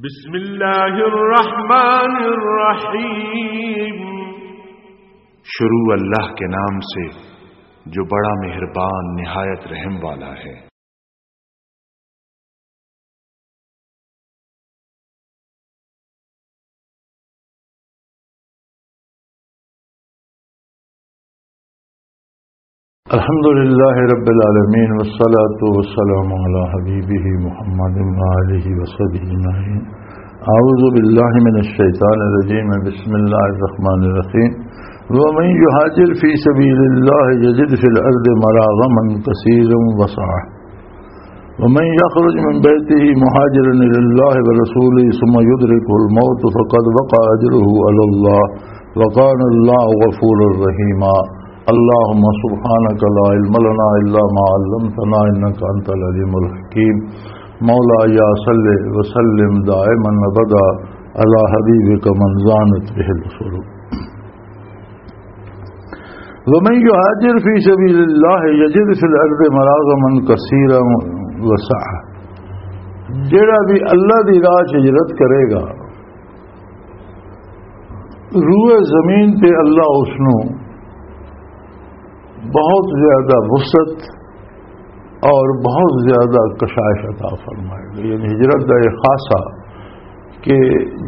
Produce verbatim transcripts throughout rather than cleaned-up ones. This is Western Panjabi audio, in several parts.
بسم اللہ الرحمن الرحیم۔ شروع اللہ کے نام سے جو بڑا مہربان نہایت رحم والا ہے۔ الحمد لله رب العالمين، والصلاة والسلام على حبيبه محمد وآله وصحبه أجمعين. أعوذ بالله من الشيطان الرجيم. بسم الله الرحمن الرحيم. ومن يهاجر في سبيل الله يجد في الأرض مراغما كثيرا وسعة. ومن يخرج من بيته مهاجرا إلى الله ورسوله ثم يدركه الموت فقد وقع أجره على الله وكان الله غفورا رحيما. اللهم سبحانك لا علم لنا إلا ما علمتنا إنك أنت العليم الحكيم. مولاي صل وسلم دائما أبدا على حبيبك من زانت به القلوب. ومن يهاجر في سبيل الله يجد في الأرض مراغما كثيرا وسعة. جڑا بھی اللہ دی راہ چ ہجرت کرے گا، روئے زمین تے اللہ اس نو بہت زیادہ وسعت اور بہت زیادہ کشائش عطا فرمائے گا۔ یعنی ہجرت دا یہ خاصہ کہ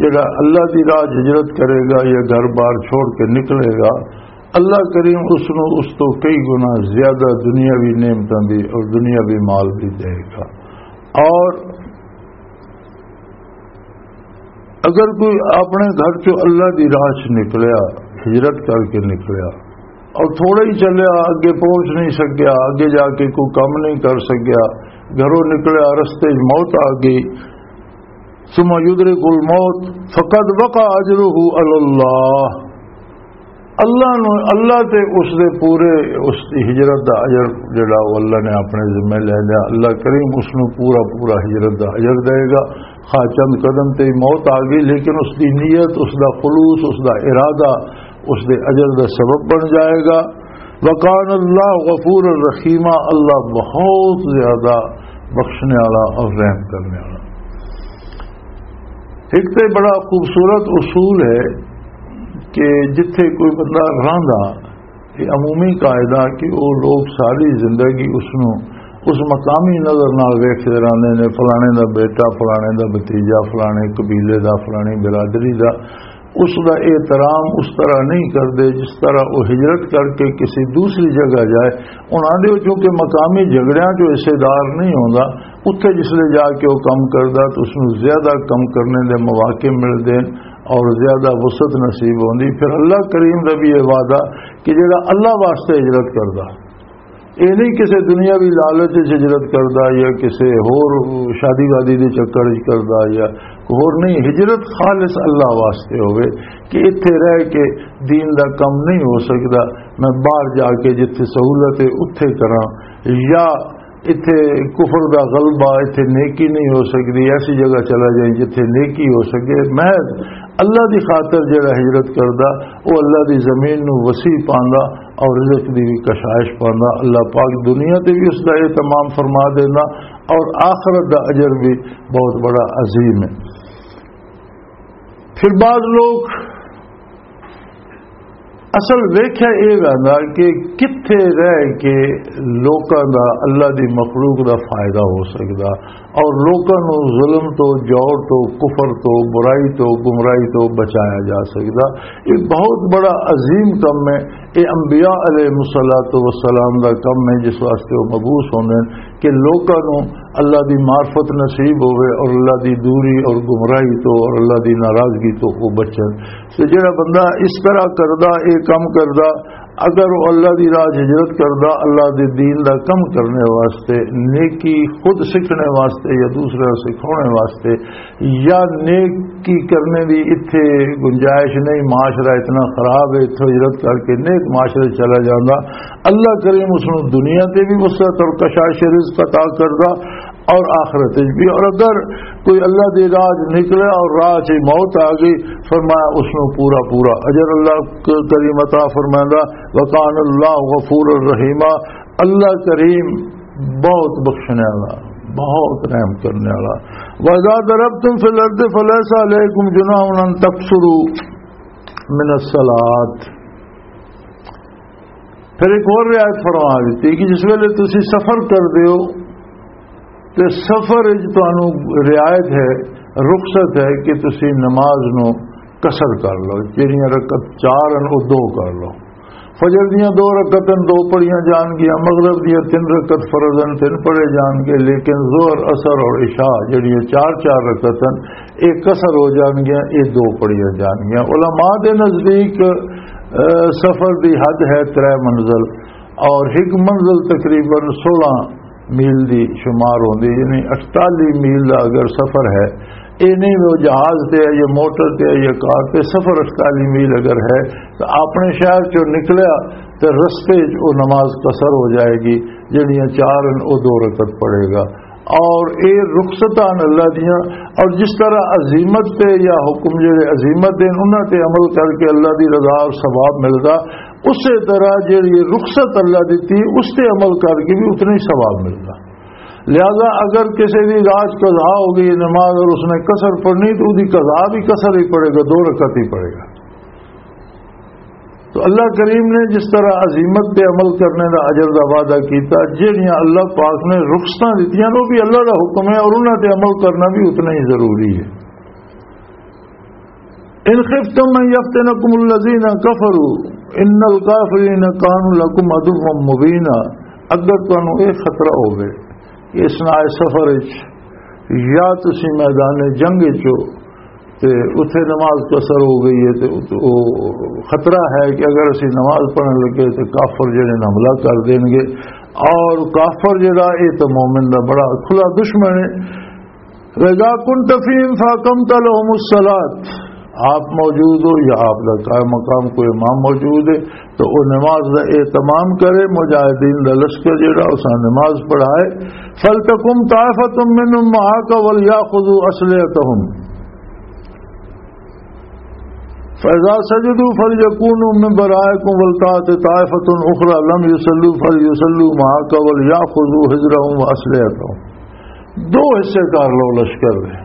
جڑا اللہ دی راہ ہجرت کرے گا یا گھر بار چھوڑ کے نکلے گا، اللہ کریم اس نو اس تو کئی گنا زیادہ دنیاوی نعمتاں دی اور دنیاوی مال بھی دے گا۔ اور اگر کوئی اپنے گھر چوں اللہ دی راہ چ نکلیا، ہجرت کر کے نکلیا، اور تھوڑا ہی چلیا، اگے پہنچ نہیں سکیا، اگے جا کے کوئی کم نہیں کر سکیا، گھروں نکلیا، رستے چ موت آ گئی، ثم يدرك الموت فقد وقع أجره على الله. اللہ نو، اللہ تے اس دے پورے، اس دی ہجرت دا اجر جڑا وہ اللہ نے اپنے ذمہ لے لیا، اللہ کریم اس نو پورا پورا ہجرت دا اجر دے گا۔ خواہ چند قدم تے ہی موت آ گئی، لیکن اس دی نیت، اس دا خلوص، اس دا ارادہ اس دے اجر دا سبب بن جائے گا۔ وکان اللہ غفور الرحیمہ، اللہ بہت زیادہ بخشنے والا اور رحم کرنے والا۔ ایک تے بڑا خوبصورت اصول ہے کہ جتھے کوئی بندہ رہندا، یہ عمومی قاعدہ کہ وہ لوگ ساری زندگی اس نو اس مقامی نظر نال ویکھدے رہندے نے، فلانے دا بیٹا، فلانے دا بھتیجا، فلانے قبیلے دا، فلانی برادری دا، اس دا احترام اس طرح نہیں کردے جس طرح وہ ہجرت کر کے کسی دوسری جگہ جائے۔ انہاں دے چونکہ مقامی جھگڑیاں چوں حصے دار نہیں ہوندا، اتھے جس لے جا کے وہ کم کردا تو اس نوں زیادہ کم کرنے دے مواقع ملدے اور زیادہ وسعت نصیب ہوندی۔ پھر اللہ کریم دا بھی یہ وعدہ کہ جڑا اللہ واسطے ہجرت کردا، یہ نہیں کسی دنیاوی لالچ وچ ہجرت کردا یا کسی ہور شادی وادی دے چکر وچ کردا یا ہور نہیں، ہجرت خالص اللہ واسطے ہوئے کہ اتھے رہ کے دین دا کم نہیں ہو سکدا، میں باہر جا کے جتھے سہولت ہے اتھے کراں، یا اتھے کفر دا غلبہ، اتھے نیکی نہیں ہو سکدی، ایسی جگہ چلا جائیں جتھے نیکی ہو سکے۔ محض اللہ دی خاطر جڑا ہجرت کردا، او اللہ دی زمین نو وسیع پاندا اور رزق دی بھی کشائش پاندا۔ اللہ پاک دنیا تے بھی اس دا اہتمام فرما دیندا اور آخرت دا اجر بھی بہت بڑا عظیم ہے۔ پھر بعض لوگ اصل ویکھیا اے ویندا کہ کتھے رہ کے لوکاں دا، اللہ دی مخلوق دا فائدہ ہو سکدا اور لوکاں نوں ظلم تو، جور تو، کفر تو، برائی تو، گمراہی تو بچایا جا سکدا۔ یہ بہت بڑا عظیم کم ہے۔ یہ انبیاء علیہ الصلوۃ والسلام دا کم ہے، جس واسطے وہ مبعوث ہوندے ہیں کہ لوکاں نوں اللہ دی معرفت نصیب ہوئے اور اللہ دی دوری اور گمراہی تو اور اللہ دی ناراضگی تو وہ بچن۔ تے جڑا بندہ اس طرح کردا، اے کم کردا، اگر وہ اللہ دی راہ ہجرت کردا، اللہ دے دین دا کم کرنے واسطے، نیکی خود سیکھنے واسطے یا دوسرے سکھانے واسطے، یا نیکی کرنے دی اتھے گنجائش نہیں، معاشرہ اتنا خراب ہے، اتھوں ہجرت کر کے نیک معاشرے چلا جاندا، اللہ کریم اس نوں دنیا تے بھی وسعت اور کشائش رزق عطا کردا اور آخرت وچ بھی۔ اور اگر کوئی اللہ دی راہ چ نکلے اور راہ چ موت آ گئی، فرمایا اس نوں پورا پورا اجر اللہ ک-، کریم عطا فرمائندا۔ وکان اللہ غفور الرحیمہ، اللہ کریم بہت بخشنے والا، بہت رحم کرنے والا۔ وَإِذَا ضَرَبْتُمْ فِي الْأَرْضِ فَلَيْسَ عَلَيْكُمْ جُنَاحٌ أَن تَقْصُرُوا مِنَ الصَّلَاةِ۔ پھر ایک اور رعایت فرما دیتی کہ جس ویلے تسی سفر کر دیو تے سفر وچ تانوں رعایت ہے، رخصت ہے کہ تسی نماز نو قصر کر لو، جڑیاں رکعت چار ہن او دو کر لو۔ فجر دیاں دو رکعتاں دو پڑھیاں جان گیاں، مغرب دیاں تین رکعت فرض ہن تین پڑھے جان گے، لیکن ظہر، عصر اور عشاء جڑیاں چار چار رکعت ہن، اے قصر ہو جان گیاں، اے دو پڑھیاں جان گیاں۔ علماء دے نزدیک، اے، سفر دی حد ہے ترے منزل، اور ایک منزل تقریباً سولہ میل دی شمار ہوندی، یعنی اٹتالی میل دا اگر سفر ہے، اے نہیں وہ جہاز تے ہے یا موٹر تے ہے یا کار تے، سفر اٹتالی میل اگر ہے تو اپنے شہر چوں نکلیا تے رستے چ وہ نماز قصر ہو جائے گی، جڑیاں چار ہیں وہ دو رکعت پڑھے گا۔ اور اے رخصتاں اللہ دیاں، اور جس طرح عزیمت تے یا حکم جڑے عزیمت دے انہاں تے عمل کر کے اللہ دی رضا اور ثواب ملدا، اسی طرح جڑی رخصت اللہ دتی اس تے عمل کر کے بھی اتنا ہی ثواب ملدا۔ لہذا اگر کسی دی رات قضا ہو گئی نماز اور اس نے قصر پڑھنی تو دی قضا بھی قصر ہی پڑھے گا، دو رکعت ہی پڑھے گا۔ تو اللہ کریم نے جس طرح عظیمت تے عمل کرنے دا اجر دا وعدہ کیتا، جہڑیاں اللہ پاک نے رخصتاں دتیاں، وہ بھی اللہ دا حکم ہے اور انہاں تے عمل کرنا بھی اتنا ہی ضروری ہے۔ ان خفتم ان یفتنکم الذین کفروا ان الکافرین کانوا لکم عدوا مبینا، اگر تانوں یہ خطرہ ہوے کہ اثناء سفر وچ یا تسی میدان جنگ وچ ہو تے اتھے نماز قصر ہو گئی ہے تے ات-، او خطرہ ہے کہ اگر اسی نماز پڑھن لگے تے کافر جڑے نے حملہ کر دین گے، اور کافر جڑا، اے تے مومن دا بڑا کھلا دشمن ہے۔ وَإِذَا كُنْتَ فِيهِمْ فَأَقَمْتَ لَهُمُ الصَّلَاةَ، آپ موجود ہو یا آپ دا قائم مقام کوئی امام موجود ہے، تو وہ نماز دا اہتمام کرے، مجاہدین دا لشکر جڑا، اساں نماز پڑھائے۔ فَلْتَقُمْ طَائِفَةٌ مِّنْهُمْ مَعَكَ وَلْيَأْخُذُوا أَسْلِحَتَهُمْ، فَإِذَا سَجَدُوا فَلْيَكُونُوا مِنْ وَرَائِكُمْ وَلْتَأْتِ طَائِفَةٌ أُخْرَىٰ لَمْ يُصَلُّوا فَلْيُصَلُّوا مَعَكَ وَلْيَأْخُذُوا حِذْرَهُمْ وَأَسْلِحَتَهُمْ۔ دو حصے کر لو لشکر دے۔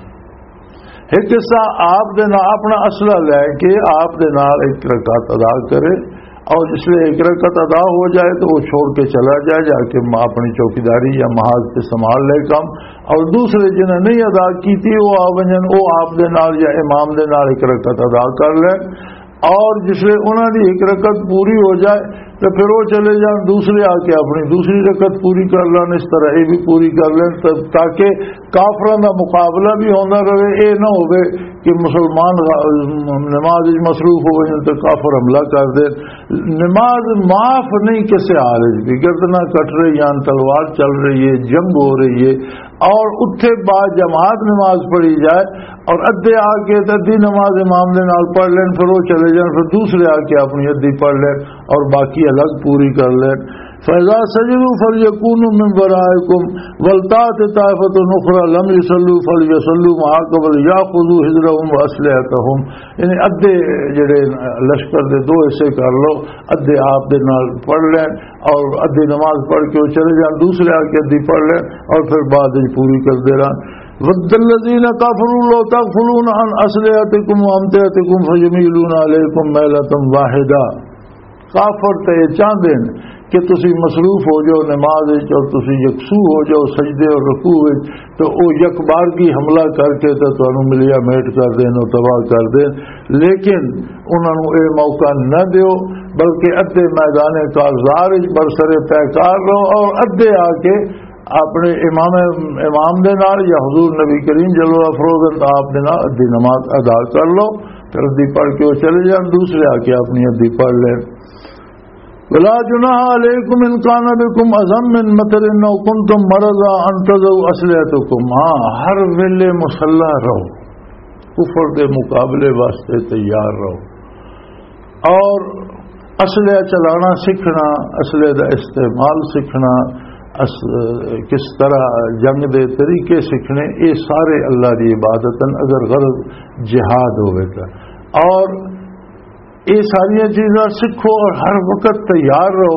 ایک حصہ آپ دے نال اپنا اسلحہ لے کے آپ دے نال ایک رکعت ادا کرے، اور جس لئے ایک رکعت ادا ہو جائے تو وہ چھوڑ کے چلا جائے، جا کے اپنی چوکیداری یا محاذ پہ سنبھال لے کام، اور دوسرے جنہیں نہیں ادا کی تھی وہ آ ونجن، وہ آپ دے نال یا امام دے نال ایک رکعت ادا کر لے، اور جس لئے انہاں دی ایک رکعت پوری ہو جائے تو پھر وہ چلے جان دوسرے آ کے اپنی دوسری رکعت پوری کر لین، اس طرح یہ بھی پوری کر لین، تا-، تاکہ کافراں دا مقابلہ بھی ہوندا رہے۔ اے نہ ہوے کہ مسلمان غا-، نماز وچ مصروف ہو جان تے کافر حملہ کر دے۔ نماز معاف نہیں کسے حال وچ بھی، گردناں کٹ رہی ہیں، تلوار چل رہی ہے، جنگ ہو رہی ہے، اور اتھے با جماعت نماز پڑھی جائے اور ادھے آ کے تے ادھی نماز امام دے نال پڑھ لین، پھر وہ چلے جان، پھر دوسرے آ کے اپنی ادھی پڑھ لین اور باقی الگ پوری کر لین۔ فَإِذَا سَجَدُوا فَلْيَكُونُوا مِنْ وَرَائِكُمْ وَلْتَأْتِ طَائِفَةٌ أُخْرَىٰ لَمْ يُصَلُّوا فَلْيُصَلُّوا مَعَكَ وَلْيَأْخُذُوا حِذْرَهُمْ وَأَسْلِحَتَهُمْ۔ یعنی ادھے جڑے لشکر دے دو حصے کر لو، ادھے آپ دے نال پڑھ لین اور ادھے نماز پڑھ کے وہ چلے جان، دوسرے آ کے ادھی پڑھ لین اور پھر بعد وچ پوری کر دے رہن۔ وَدَّ الَّذِينَ كَفَرُوا لَوْ تَغْفُلُونَ عَنْ أَسْلِحَتِكُمْ وَأَمْتِعَتِكُمْ فَيَمِيلُونَ عَلَيْكُمْ مَيْلَةً وَاحِدَةً۔ کافر تے یہ چاہندے نے کہ تسی مصروف ہو جاؤ نماز وچ اور تسی یکسو ہو جاؤ سجدے اور رکوع وچ، تو او یک بار کی حملہ کر کے تے تانوں ملیا میٹ کر دین اور تباہ کر دین، لیکن انہاں نوں اے موقع نہ دیو، بلکہ ادھے میدان کارزار وچ برسر پیکار رہو اور ادھے آ کے اپنے امام، امام دے نال یا حضور نبی کریم جلوہ افروز آپ دے نال ادھی نماز ادا کر لو، پھر ادھی پڑھ کے وہ چلے جان، دوسرے آ کے اپنی ادھی پڑھ لیں۔ ولا جناح علیکم ان کان بکم اذی من مطر او کنتم مرضی ان تضعوا اسلحتکم۔ ہاں، ہر ویلے مسلح رہو، کفر دے مقابلے واسطے تیار رہو۔ اور اسلحہ چلانا سیکھنا، اسلحے دا استعمال سیکھنا، اس-، کس طرح جنگ دے طریقے سیکھنے، یہ سارے اللہ دی عبادت ہیں، اگر غرض جہاد ہوئے گا۔ اور یہ ساری چیزاں سیکھو اور ہر وقت تیار رہو۔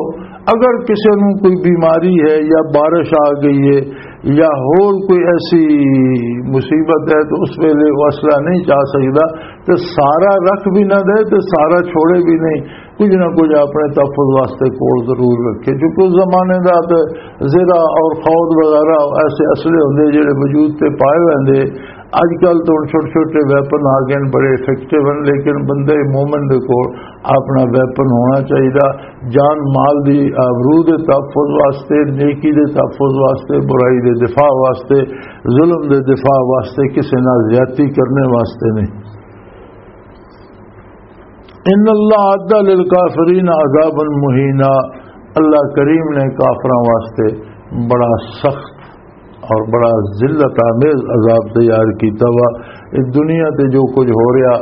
اگر کسی نوں کوئی بیماری ہے یا بارش آ گئی ہے یا ہور کوئی ایسی مصیبت ہے تو اس ویلے وہ اصلہ نہیں چاہ سکدا، تے سارا رکھ بھی نہ دے تے سارا چھوڑے بھی نہیں، کچھ نہ کچھ اپنے تحفظ واسطے کول ضرور رکھے۔ کیونکہ اس زمانے دا تے زرہ اور خود وغیرہ ایسے اسلحے ہوندے جڑے وجود تے پائے ہوئے ہوندے۔ اج کل تو ہن چھوٹے چھوٹے ویپن آ گئے نے، بڑے افیکٹو ہیں، لیکن بندے مومن دے کول اپنا ویپن ہونا چاہیے، جان مال دی آبرو دے تحفظ واسطے، نیکی دے تحفظ واسطے، برائی دے دفاع واسطے، ظلم دے دفاع واسطے، کسے نال زیادتی کرنے واسطے نہیں۔ ان اللہ اعد للکافرین عذابا مہینا، اللہ کریم نے کافراں واسطے بڑا سخت اور بڑا ذلت آمیز عذاب تیار کیتا وا۔ اس دنیا تے جو کچھ ہو رہا،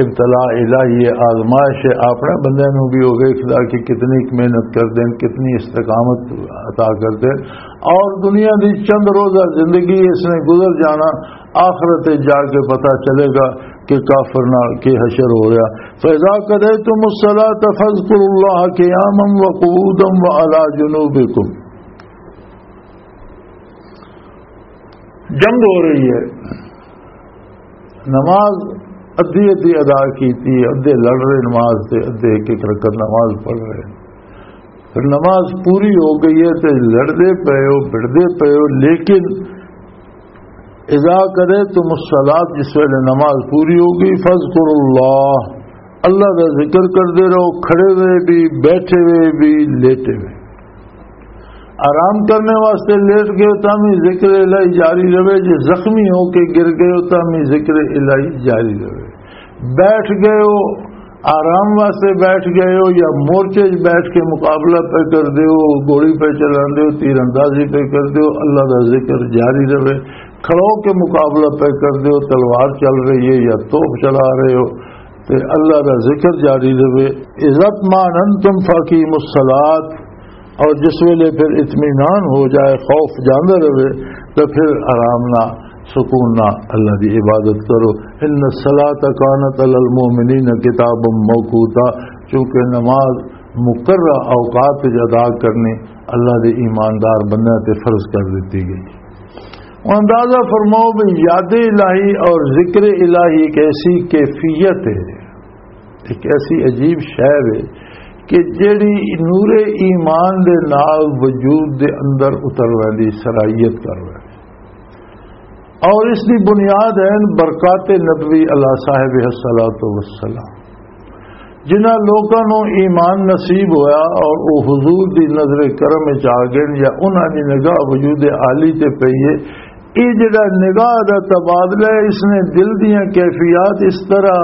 ابتلاء الہی ہے، آزمائش ہے، اپنے بندے نوں بھی وہ ویکھدا کہ کتنی محنت کردے ہیں، کتنی استقامت عطا کردے ہیں۔ اور دنیا دی چند روزہ زندگی اس نے گزر جانا، آخرت وچ جا کے پتہ چلے گا کہ کافر نال کی حشر ہو رہا۔ فَإِذَا قَضَيْتُمُ الصَّلَاةَ فَاذْكُرُوا اللَّهَ قِيَامًا وَقُعُودًا وَعَلَىٰ جُنُوبِكُمْ۔ جنگ ہو رہی ہے، نماز ادھی ادھی ادا کیتی ہے، ادھے لڑ رہے نماز تے، ادھے ایک ایک رکعت نماز پڑھ رہے ہیں۔ پھر نماز پوری ہو گئی ہے تے لڑدے پئے ہو، بھڑدے پئے ہو، لیکن اذا قضیتم الصلاۃ، جس ویلے نماز پوری ہو گئی، فاذکروا اللہ، اللہ دا ذکر کردے رہو، کھڑے ہوئے بھی، بیٹھے ہوئے بھی، لیٹے ہوئے۔ آرام کرنے واسطے لیٹ گئے ہو تاں بھی ذکر الہی جاری رہے، جے زخمی ہو کے گر گئے ہو تاں بھی ذکر الہی جاری رہے۔ بیٹھ گئے ہو، آرام واسطے بیٹھ گئے ہو یا مورچے 'چ بیٹھ کے مقابلہ پہ کر دے ہو، گولی پہ چلاندے ہو، تیر اندازی پہ کر دے ہو، اللہ دا ذکر جاری رہے۔ کھڑو کے مقابلہ پہ کر دے ہو، تلوار چل رہی ہے یا توپ چلا رہے ہو، تے اللہ دا ذکر جاری رہے۔ اذا اطمأننتم فاقیموا الصلاۃ، اور جس ویلے پھر اطمینان ہو جائے، خوف جاندے رہے، تو پھر آرام نہ، سکون نہ اللہ دی عبادت کرو۔ ان الصلاۃ کانت علی المؤمنین کتابا موقوتا، چونکہ نماز مقررہ اوقات وچ ادا کرنی اللہ دے ایماندار بندیاں تے فرض کر دتی گئی۔ اندازہ فرماؤ بھی یاد الہی اور ذکر الہی ایک ایسی کیفیت ہے، ایک ایسی عجیب شے ہے کہ جیڑی نور ایمان دے نال وجود دے اندر اتر ویندی، سرائیت کر ویندی۔ اور اس دی بنیاد ہے برکات نبوی علی صاحب الصلاۃ والسلام۔ جنہاں لوکاں نوں ایمان نصیب ہویا اور او حضور دی نظر کرم وچ آ گئے یا انہاں دی نگاہ وجود عالی تے پئی ہے، یہ جڑا نگاہ دا تبادلہ ہے، اس نے دل دیاں کیفیات اس طرح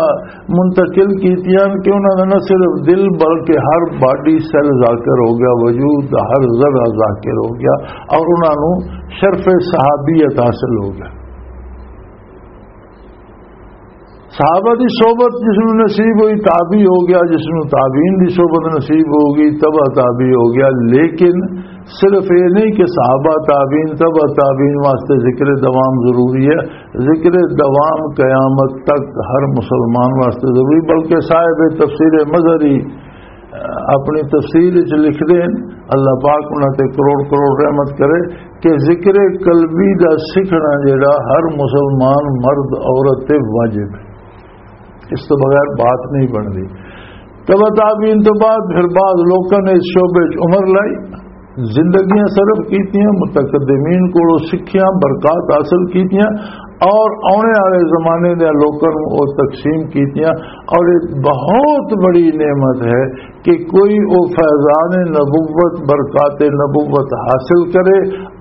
منتقل کیتیاں کہ انہاں دا نہ صرف دل بلکہ ہر باڈی سیل ذاکر ہو گیا، وجود دا ہر ذرہ ذاکر ہو گیا اور انہاں نوں شرف صحابیت حاصل ہو گیا۔ صحابہ دی صحبت جس نوں نصیب ہوئی، تابعی ہو گیا، جس نوں تابعین دی صحبت نصیب ہو گئی، تبع تابعی ہو گیا۔ لیکن صرف یہ نہیں کہ صحابہ، تابعین، تبع تابعین واسطے ذکر دوام ضروری ہے۔ ذکر دوام قیامت تک ہر مسلمان واسطے ضروری، بلکہ صاحب تفسیر مظہری اپنی تفسیر وچ لکھدے ہیں، اللہ پاک انہاں تے کروڑ کروڑ رحمت کرے، کہ ذکر قلبی دا سکھنا جڑا ہر مسلمان مرد عورت تے واجب ہے، اس تو بغیر بات نہیں بندی۔ تبع تابعین تو بعد پھر بعض لوکاں نے اس شعبے وچ عمر لائی، زندگیاں صرف کیتیاں، متقدمین کولوں سکھیاں، برکات حاصل کیتیاں اور آنے والے زمانے دے لوکاں نوں او تقسیم کیتیاں۔ اور یہ بہت بڑی نعمت ہے کہ کوئی او فیضان نبوت، برکات نبوت حاصل کرے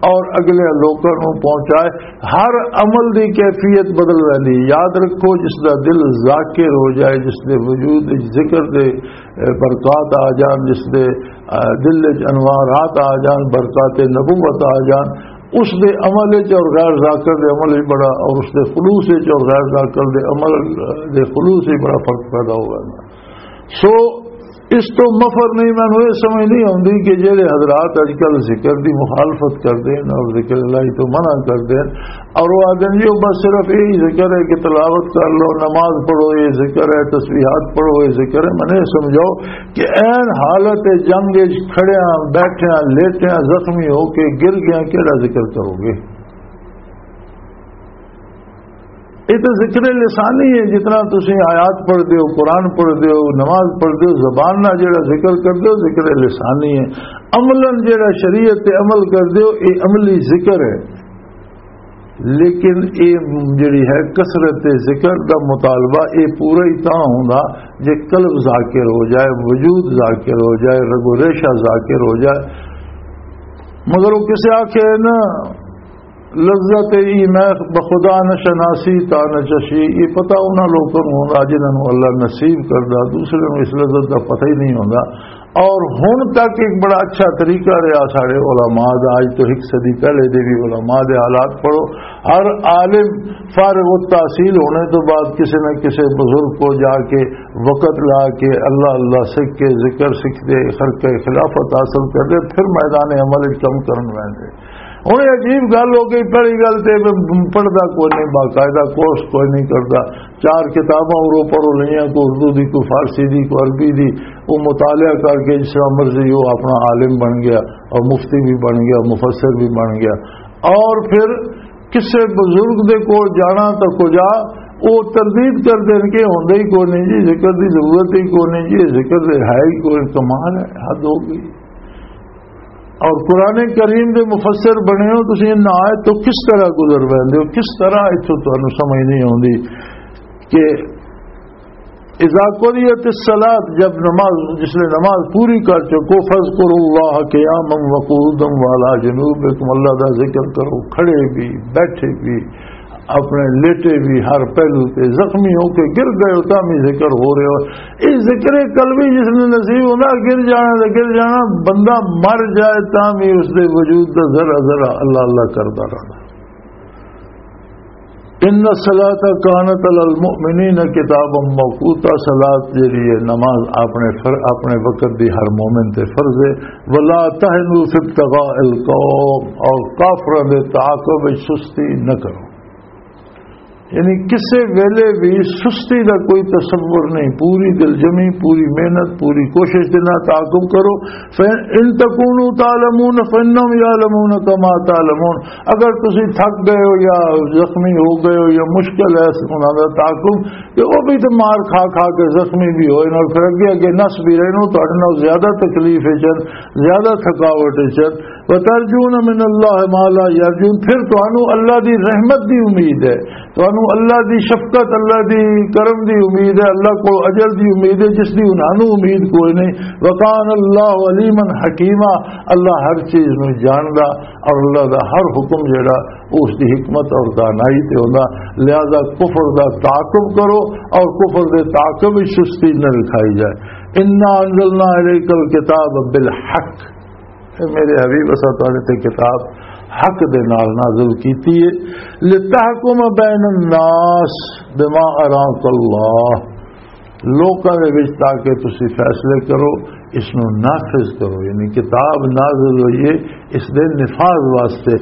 اور اگلے لوکاں نوں پہنچائے۔ ہر عمل دی کیفیت بدل ویندی۔ یاد رکھو، جس دا دل ذاکر ہو جائے، جس دے وجود وچ ذکر دے، اے، برکات آ جان، جس دے، اے، دل وچ انوارات آ جان، برکات نبوت آ جان، اس دے عمل وچ اور غیر ذاکر دے عمل وچ بڑا، اور اس دے خلوص وچ اور غیر ذاکر دے عمل دے خلوص وچ بڑا فرق پیدا ہو ویندا۔ سو اس تو مفر نہیں، مینوں یہ سمجھ نہیں آندی کہ جڑے حضرات اج کل ذکر دی مخالفت کردے ہیں اور ذکر الہی تو منع کردے ہیں اور وہ آدھے جی وہ بس صرف یہی ذکر ہے کہ تلاوت کر لو، نماز پڑھو، یہ ذکر ہے، تسبیحات پڑھو، یہ ذکر ہے۔ میں نے سمجھاؤ کہ عین حالت جنگ وچ کھڑیاں، بیٹھیاں، لیٹیاں، زخمی ہو کے گر گیا، کیڑا ذکر کرو گے؟ یہ تو ذکر لسانی ہے، جتنا تسی آیات پڑھ دیو، قرآن پڑھ دیو، نماز پڑھ دیو، زبان نہ جڑا ذکر کر دیو، ذکر لسانی ہے۔ عملاً جڑا شریعت تے عمل کر دیو، یہ عملی ذکر ہے۔ لیکن یہ جڑی ہے کثرت ذکر دا مطالبہ، یہ پورا ہی تاں ہوندا جے قلب ذاکر ہو جائے، وجود ذاکر ہو جائے، رگ و ریشہ ذاکر ہو جائے۔ مگر وہ کسے آکھے نا، لذت ای میں بخدا نہ شناسی تا نہ چشی، یہ پتہ انہاں لوکاں نوں ہوندا جنہاں نوں اللہ نصیب کردا، دوسرے نوں اس لذت دا پتہ ہی نہیں ہوندا۔ اور ہن تک ایک بڑا اچھا طریقہ رہا ساڈے علماء دا، اج تو ایک صدی پہلے دے بھی علماء دے حالات پڑھو، ہر عالم فارغ التحصیل ہونے تو بعد کسی نہ کسی بزرگ کو جا کے وقت لا کے اللہ اللہ سکھ کے ذکر سکھ دے، خرقہ خلافت حاصل کر دے، پھر میدان عمل وچ کم کرن ویندے۔ ہن یہ عجیب گل ہو گئی، پہلی گل تے پڑھدا کوئی نہیں، باقاعدہ کورس کوئی نہیں کردا، چار کتاباں اوروں پروں لئیاں، کوئی اردو دی، کوئی فارسی دی، کوئی عربی دی، وہ مطالعہ کر کے جس طرح مرضی وہ اپنا عالم بن گیا اور مفتی بھی بن گیا، مفسر بھی بن گیا۔ اور پھر کسے بزرگ دے کول جانا تو کجا، وہ تردید کر دین کہ ہوندا ہی کوئی نہیں جی، ذکر دی ضرورت ہی کوئی نہیں جی، ذکر دے ہے ہی کوئی، کمال ہے، حد ہو گئی۔ اور قرآن کریم دے مفسر بنے ہو تسی، نہ آئے تو کس طرح گزر ویندے ہو، کس طرح اتھوں تانوں سمجھ نہیں آوندی کہ اذا قضیت الصلاۃ، جب نماز، جس نے نماز پوری کر چکو، فاذکروا اللہ قیاما وقعودا وعلی جنوبکم، اللہ دا ذکر کرو، کھڑے بھی، بیٹھے بھی، اپنے لیٹے بھی، ہر پہلو تے زخمی ہو کے گر گئے ہو، تاں بھی ذکر ہو رہے ہو۔ یہ ذکر قلبی جس نے نصیب ہونا، گر جانا تے گر جانا، بندہ مر جائے تاں بھی اس دے وجود دا ذرا ذرا اللہ اللہ کردا رہنا۔ ان الصلاۃ کانت علی المؤمنین کتابا موقوتا، صلاۃ جڑی ہے، نماز اپنے فر-، اپنے وقت دی ہر مومن تے فرض ہے۔ ولا تهنوا في ابتغاء القوم، اور کافروں دے تعاقب وچ سستی نہ کرو۔ یعنی کسے ویلے بھی سستی دا کوئی تصور نہیں، پوری دلجمی، پوری محنت، پوری کوشش دے نال تعاقب کرو۔ فَإِن تَكُونُوا تَعْلَمُونَ فَإِنَّهُمْ يَعْلَمُونَ كَمَا تَعْلَمُونَ، اگر تسی تھک گئے ہو یا زخمی ہو گئے ہو یا مشکل ہے انہاں دا تعاقب، کہ وہ بھی تے مار کھا کھا کے زخمی بھی ہوئے اور پھر اگے اگے نس بھی رہے نو، تہاڈے نال زیادہ تکلیف ہے چن، زیادہ تھکاوٹ ہے چن۔ وَتَرْجُونَ مِنَ اللَّهِ مَا لَا يَرْجُونَ، پھر تانوں اللہ دی رحمت دی امید ہے، تانوں اللہ دی شفقت، اللہ دی کرم دی امید ہے، اللہ کو اجر دی امید ہے، جس دی انہاں نوں امید کوئی نہیں۔ وَكَانَ اللَّهُ عَلِيمًا حَكِيمًا، اللہ ہر چیز نوں جاندا اور اللہ دا ہر حکم جڑا، اس دی حکمت اور دانائی تے ہوندا۔ لہذا کفر دا تعاقب کرو اور کفر دے تعاقب وچ سستی نہ رکھائی جائے۔ انا انزلنا الیک الکتاب بالحق، اے میرے حبیب، اساں تہاڈے تے کتاب حق دے نال نازل کیتی ہے، لتحکم بین الناس بما اراک اللہ، لوکاں دے وچ تاکہ تسی فیصلے کرو، اس نو نافذ کرو، یعنی کتاب نازل ہوئی ہے اس دے نفاذ واسطے۔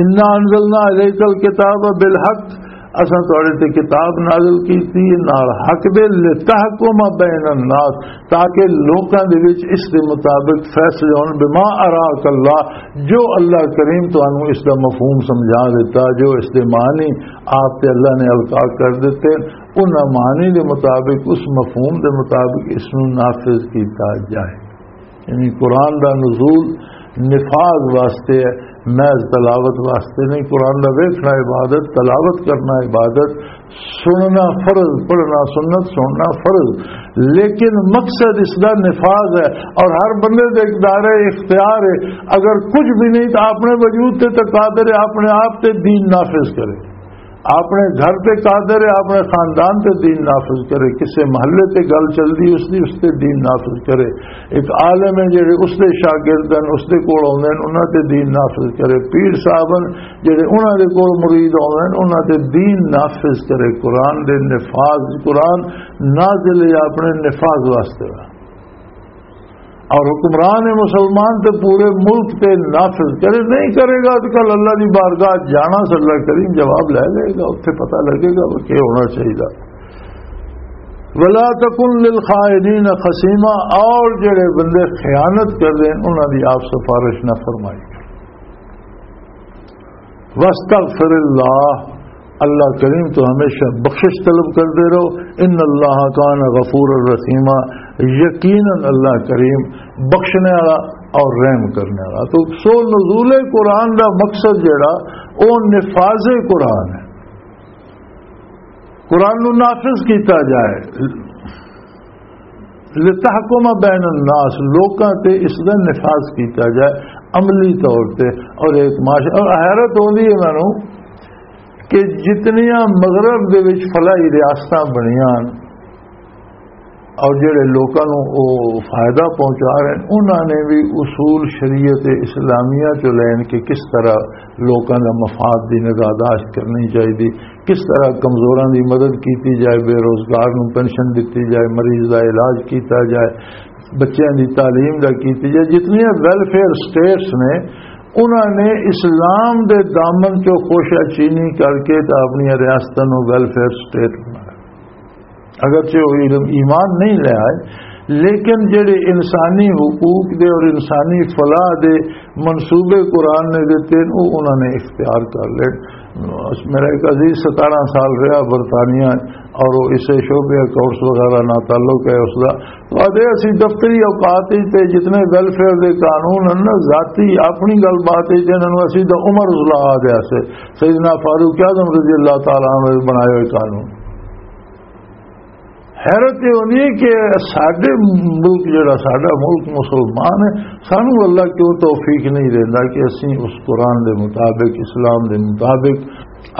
انا انزلنا الیک الکتاب بالحق، اساں تہاڈے تے کتاب نازل کیتی ہے نال حق دے، لتحکم بین الناس، تاکہ لوکاں دے وچ اس دے مطابق فیصلے ہون، بما اراک اللہ، جو اللہ کریم تانوں اس دا مفہوم سمجھا دیتا، جو اس دے معنی آپ تے اللہ نے القا کر دیتے، انہاں معنی دے مطابق، اس مفہوم دے مطابق اس نوں نافذ کیتا جائے۔ یعنی قرآن دا نزول نفاذ واسطے ہے، محض تلاوت واسطے نہیں۔ قرآن دا ویکھنا عبادت، تلاوت کرنا عبادت، سننا فرض، پڑھنا سنت، سننا فرض، لیکن مقصد اس دا نفاذ ہے۔ اور ہر بندے دے اقدار اختیار ہے، اگر کچھ بھی نہیں تو اپنے وجود تے تو قادر ہے، اپنے آپ تے دین نافذ کرے۔ اپنے گھر تے قادر ہے، اپنے خاندان تے دین نافذ کرے۔ کسے محلے تے گل چلدی، اس دی، اس تے دین نافذ کرے۔ ایک عالم ہے جڑے اس دے شاگرد ہیں، اس دے کول آوندے ہیں، انہاں تے دین نافذ کرے۔ پیر صاحب ہیں جڑے انہاں دے کول مرید آوندے ہیں، انہاں تے دین نافذ کرے۔ قرآن دے نفاذ، قرآن نازل ہے اپنے نفاذ واسطے۔ اور حکمران مسلمان تے پورے ملک تے نافذ کرے، نہیں کرے گا تو کل اللہ دی بارگاہ جانا، صلی اللہ کریم جواب لے لے گا، اتھے پتہ لگے گا وہ کیا ہونا چاہیے۔ ولا تکن للخائنین خصیما، اور جڑے بندے خیانت کر دیں انہاں دی آپ سفارش نہ فرمائی۔ واستغفر اللہ، اللہ کریم تو ہمیشہ بخشش طلب کردے رہو۔ ان اللہ کان غفور الرحیمہ، یقیناً اللہ کریم بخشنے والا اور رحم کرنے والا۔ تو سو نزول قرآن دا مقصد جڑا، او نفاذ قرآن ہے، قرآن نو نافذ کیتا جائے۔ لتحکم بین الناس، لوکاں تے اس دا نفاذ کیتا جائے عملی طور تے۔ اور ایک معاشرہ، اور حیرت ہوندی ہے مینوں کہ جتنیاں مغرب دے وچ فلاحی ریاستاں بنیاں اور جڑے لوکاں نوں او فائدہ پہنچا رہے ہیں، انہاں نے بھی اصول شریعت اسلامیہ چوں لین کہ کس طرح لوکاں دا مفاد دی نگہداشت کرنی چاہیے، کس طرح کمزوراں دی مدد کیتی جائے، بے روزگار نوں پینشن دتی جائے، مریض دا علاج کیتا جائے، بچیاں دی تعلیم دا کیتی جائے۔ جتنیاں ویلفیئر سٹیٹس نے، انہاں نے اسلام دے دامن چوں خوشہ چینی کر کے تے اپنی ریاستاں نوں ویلفیئر سٹیٹ بنایا۔ اگرچہ وہ علم ایمان نہیں لے آئے، لیکن جڑے انسانی حقوق دے اور انسانی فلاح دے منصوبے قرآن نے دیتے ہیں، وہ انہوں نے اختیار کر لے۔ میرا ایک عزیز ستارہ سال رہا برطانیہ، اور وہ اسے شعبے کورس وغیرہ نہ تعلق ہے اس دا۔ تو آدھے اسی دفتری اوقات ہی تے جتنے ویلفیئر دے قانون ہیں نا، ذاتی اپنی گل بات ہی تے انہوں اسی دا عمر ازلا آ گیا سے، سیدنا فاروق اعظم رضی اللہ تعالیٰ عنہ دے بنائے ہوئے قانون۔ حیرت یہ ہوندی ہے کہ ساڈے ملک، جڑا ساڈا ملک مسلمان ہے، سانو اللہ کیوں توفیق نہیں دیندا کہ اسی اس قرآن دے مطابق، اسلام دے مطابق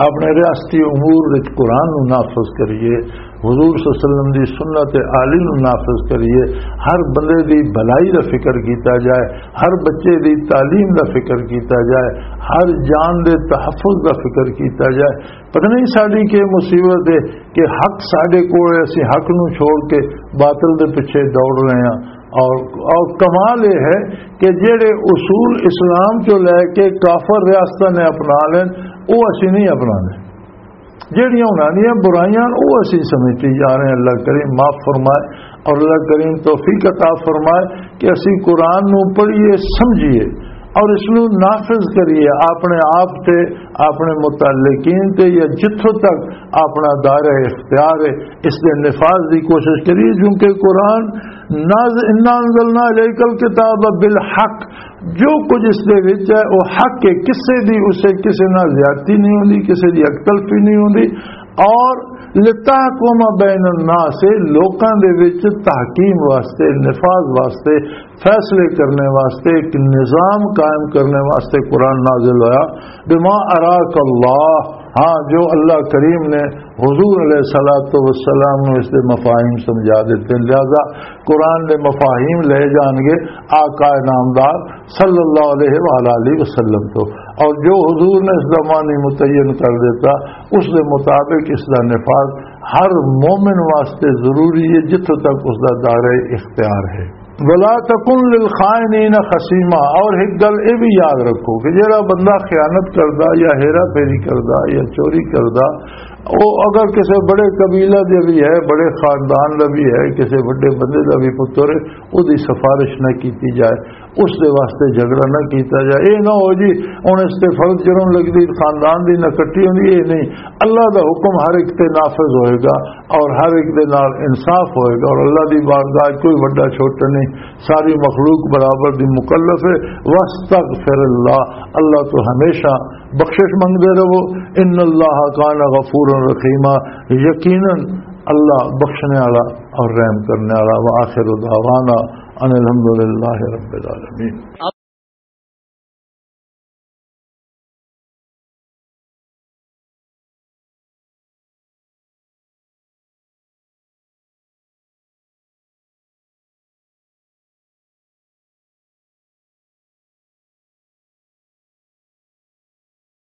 اپنے ریاستی امور وچ قرآن نو نافذ کریے، حضور صلی اللہ علیہ وسلم دی سنت عالی نو نافذ کریے، ہر بندے دی بھلائی دا فکر کیتا جائے، ہر بچے دی تعلیم دا فکر کیتا جائے، ہر جان دے تحفظ دا فکر کیتا جائے۔ پتہ نہیں ساڈی کی مصیبت ہے کہ حق ساڈے کول ہے، اسی حق نو چھوڑ کے باطل دے پیچھے دوڑ رہے ہیں۔ اور، اور کمال یہ ہے کہ جڑے اصول اسلام چوں لے کے کافر ریاستاں نے اپنا لین، وہ اسی نہیں اپنا لین۔ جڑیاں انہاں دیاں برائیاں، وہ اسی سمجھتی جا رہے ہیں۔ اللہ کریم معاف فرمائے، اور اللہ کریم توفیق عطا فرمائے کہ اسی قرآن نو پڑھیے، سمجھیے اور اس نو نافذ کریے اپنے آپ تے، اپنے متعلقین تے، یا جتھوں تک اپنا دائرہ اختیار ہے، اس دے نفاذ دی کوشش کریے، کیونکہ قرآن ناز-، انا انزلنا الیک الکتاب بالحق، جو کچھ اس دے وچ ہے، وہ حق ہے، کسے دی، اسے کسے نال زیادتی نہیں ہوندی، کسے دی اکتلفی نہیں ہوندی۔ اور لتحکم بین الناس، لوکاں دے وچ تحکیم واسطے، نفاذ واسطے، فیصلے کرنے واسطے، ایک نظام قائم کرنے واسطے قرآن نازل ہویا۔ بما اراک اللہ، ہاں، جو اللہ کریم نے حضور علیہ الصلوۃ والسلام نو اس دے مفاہیم سمجھا دیتے ہیں، لہذا قرآن دے مفاہیم لے جان گے آقا نامدار صلی اللہ علیہ وآلہ وسلم تو۔ اور جو حضور نے اس دا معنی متعین کر دیتا، اس دے مطابق اس دا نفاذ ہر مومن واسطے ضروری ہے، جتھوں تک اس دا دائرہ اختیار ہے۔ ولا تکن للخائنین خصیما، اور ایک گل یہ بھی یاد رکھو کہ جڑا بندہ خیانت کردا یا ہیرا پھیری کردا یا چوری کردا، وہ اگر کسی بڑے قبیلہ دے بھی ہے، بڑے خاندان دا بھی ہے، کسی بڑے بندے دا بھی پتر ہے، وہ دی سفارش نہ کیتی جائے، اس دے واسطے جھگڑا نہ کیتا جائے۔ اے نہ ہو جی، ہن اس تے فرض جرم لگدی، خاندان دی نہ کٹی ہوندی، اے نہیں۔ اللہ دا حکم ہر ایک تے نافذ ہوئے گا اور ہر ایک دے نال انصاف ہوئے گا، اور اللہ دی بارگاہ وچ کوئی وڈا چھوٹا نہیں، ساری مخلوق برابر دی مکلف ہے۔ واستغفر اللہ، اللہ تو ہمیشہ بخشش منگدے رہو۔ ان اللہ کان غفورا رحیما، یقیناً اللہ بخشنے والا اور رحم کرنے والا۔ وآخر دعوانا ان الحمدللہ رب العالمین۔